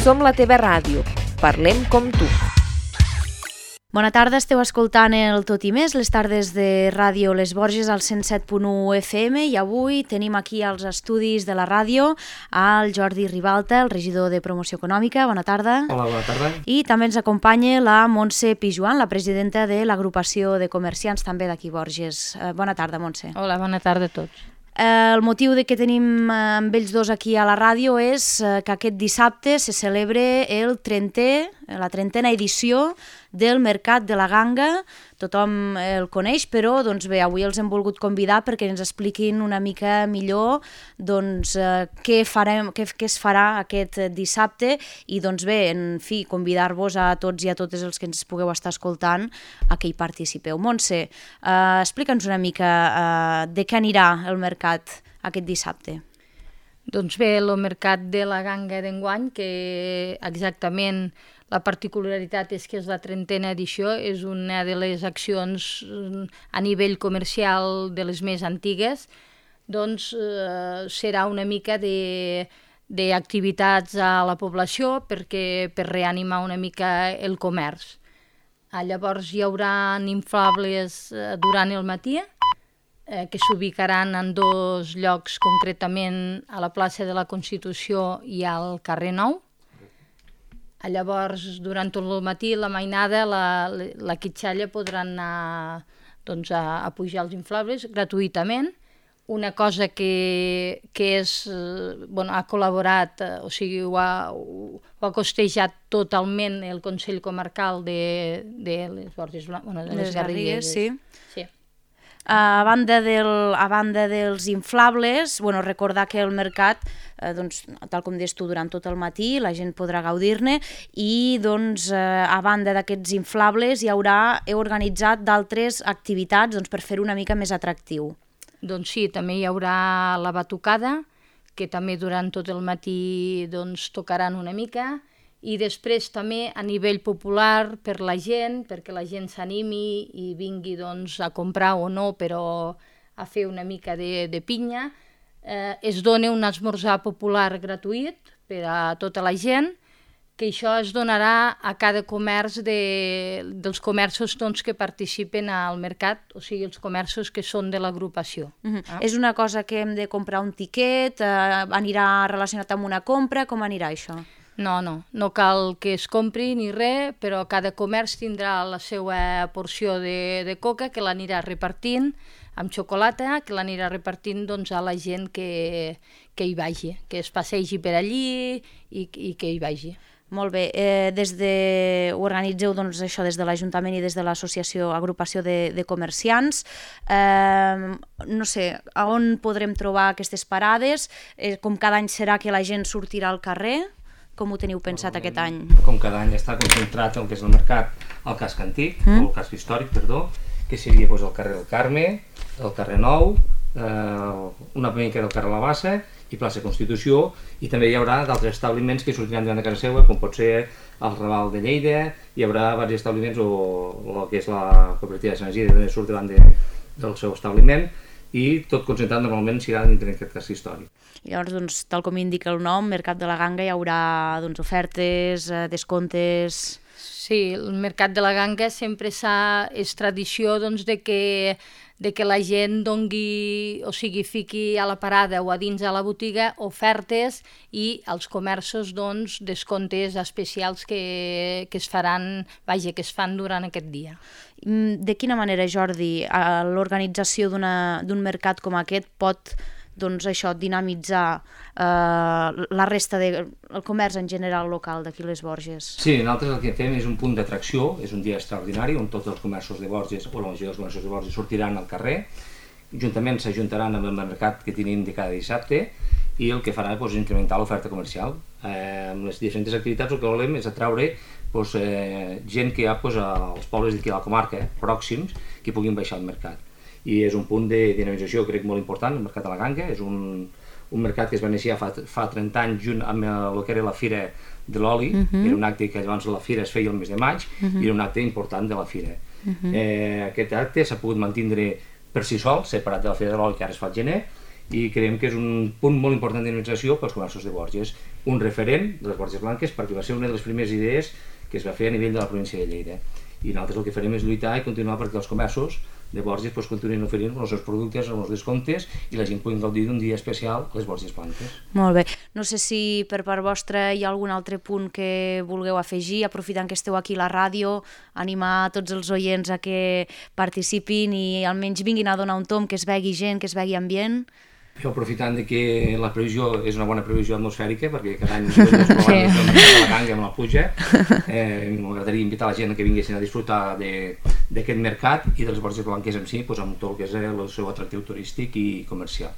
Som la teva ràdio. Parlem com tu. Bona tarda, esteu escoltant el Tot i Més, les tardes de Ràdio Les Borges al 107.1 FM i avui tenim aquí als estudis de la ràdio al Jordi Ribalta, el regidor de Promoció Econòmica. Bona tarda. Hola, bona tarda. I també ens acompanya la Montse Pijuan, la presidenta de l'agrupació de comerciants també d'aquí Borges. Bona tarda, Montse. Hola, bona tarda a tots. El motiu de que tenim amb ells dos aquí a la ràdio és que aquest dissabte se celebra la 30a edició del Mercat de la Ganga. Tothom el coneix, però doncs bé, avui els hem volgut convidar perquè ens expliquin una mica millor doncs, què es farà aquest dissabte i doncs bé, en fi, convidar-vos a tots i a totes els que ens pugueu estar escoltant a que hi participeu. Montse, explica'ns una mica de què anirà el mercat aquest dissabte. Doncs bé, el Mercat de la Ganga d'enguany, que exactament la particularitat és que és la 30a edició, és una de les accions a nivell comercial de les més antigues, doncs serà una mica d'activitats a la població per reanimar una mica el comerç. Llavors hi haurà inflables durant el matí, que s'ubicaran en dos llocs, concretament a la plaça de la Constitució i al carrer Nou. Llavors, durant tot el matí, la mainada, la quitxalla podran anar doncs, a pujar els inflables gratuïtament. Una cosa que ha col·laborat, o sigui, ho ha costejat totalment el Consell Comarcal de les Borges Blanques, de les Garrigues. Sí. A banda dels inflables, recordar que el mercat, tal com deies tu, durant tot el matí la gent podrà gaudir-ne i a banda d'aquests inflables heu organitzat d'altres activitats per fer-ho una mica més atractiu. Doncs sí, també hi haurà la batucada, que també durant tot el matí tocaran una mica, i després també a nivell popular per la gent, perquè la gent s'animi i vingui a comprar o no, però a fer una mica de pinya. Es dona un esmorzar popular gratuït per a tota la gent, que això es donarà a cada comerç dels comerços que participen al mercat, o sigui, els comerços que són de l'agrupació. És una cosa que hem de comprar un tiquet, anirà relacionat amb una compra, com anirà això? No cal que es compri ni res, però cada comerç tindrà la seva porció de coca que l'anirà repartint amb xocolata, que l'anirà repartint a la gent que hi vagi, que es passegi per allí i que hi vagi. Molt bé, ho organitzeu això des de l'Ajuntament i des de l'associació agrupació de comerciants. No sé, on podrem trobar aquestes parades? Com cada any serà que la gent sortirà al carrer? Com ho teniu pensat aquest any? Com cada any està concentrat el que és el mercat al casc antic, o el casc històric, perdó, que seria el carrer del Carme, el carrer Nou, una mica del carrer La Bassa i plaça Constitució, i també hi haurà d'altres establiments que sortiran davant de casa seva, com pot ser el Raval de Lleida, hi haurà diversos establiments, o el que és la cooperativa de Sant Isidre, també surt davant del seu establiment, i tot concentrat normalment serà dintre d'aquest casc històric. Llavors, tal com indica el nom, Mercat de la Ganga, hi haurà ofertes, descomptes... Sí, el Mercat de la Ganga sempre és tradició de que la gent dongui, o sigui, fiqui a la parada o a dins a la botiga ofertes i als comerços descomptes especials que es faran, que es fan durant aquest dia. De quina manera, Jordi, l'organització d'un mercat com aquest pot dinamitzar la resta del comerç en general local d'aquí les Borges? Sí, nosaltres el que fem és un punt d'atracció, és un dia extraordinari on tots els comerços de Borges, o la majoria dels comerços de Borges sortiran al carrer, juntament s'ajuntaran amb el mercat que tenim de cada dissabte i el que farà és incrementar l'oferta comercial. Amb les diferents activitats el que volem és atraure gent que hi ha als pobles d'aquí a la comarca, pròxims, que puguin baixar al mercat. I és un punt de dinamització, crec, molt important, el Mercat de la Ganga. És un mercat que es va iniciar fa 30 anys junt amb el que era la Fira de l'Oli. Era un acte que llavors la Fira es feia el mes de maig i era un acte important de la Fira. Aquest acte s'ha pogut mantindre per si sol, separat de la Fira de l'Oli, que ara es fa al gener, i creiem que és un punt molt important d'inibició pels comerços de Borges, un referent de les Borges Blanques, perquè va ser una de les primeres idees que es va fer a nivell de la província de Lleida. I nosaltres el que farem és lluitar i continuar perquè els comerços de Borges continuïn oferint els seus productes amb els descomptes i la gent pugui gaudir d'un dia especial a les Borges Blanques. Molt bé. No sé si per part vostra hi ha algun altre punt que vulgueu afegir, aprofitant que esteu aquí a la ràdio, animar tots els oients a que participin i almenys vinguin a donar un tomb, que es vegi gent, que es vegi ambient. Jo, aprofitant que la previsió és una bona previsió atmosfèrica, perquè cada any la ganga amb la pluja, m'agradaria invitar la gent que vinguessin a disfrutar d'aquest mercat i de les Borges Blanques en si, amb tot el que és el seu atractiu turístic i comercial.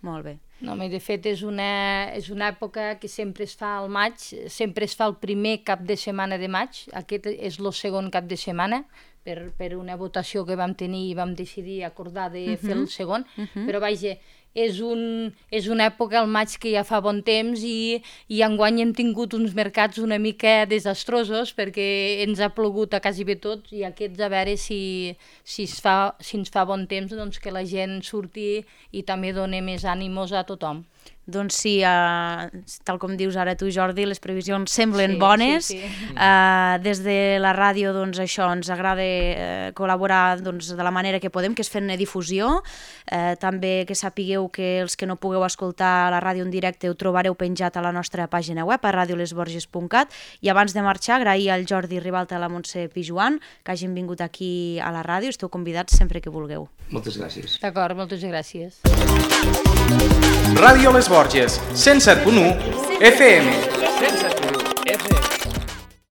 Molt bé. No, de fet, és una època que sempre es fa al maig, sempre es fa el primer cap de setmana de maig, aquest és el segon cap de setmana, per una votació que vam tenir i vam decidir acordar de fer el segon, però vaja, és una època al maig que ja fa bon temps i enguany hem tingut uns mercats una mica desastrosos perquè ens ha plogut a quasi bé tot i aquests a veure si ens fa bon temps, doncs que la gent surti i també doni més ànimos a tothom. Doncs sí, tal com dius ara tu, Jordi, les previsions semblen bones. Sí. Des de la ràdio, doncs, això, ens agrada col·laborar de la manera que podem, que és fent difusió. També que sapigueu que els que no pugueu escoltar la ràdio en directe ho trobareu penjat a la nostra pàgina web, a radiolesborges.cat. I abans de marxar, agrair al Jordi Ribalta i a la Montse Pijuan que hagin vingut aquí a la ràdio. Esteu convidats sempre que vulgueu. Moltes gràcies. D'acord, moltes gràcies. Ràdio Les Borges, 107.1 FM.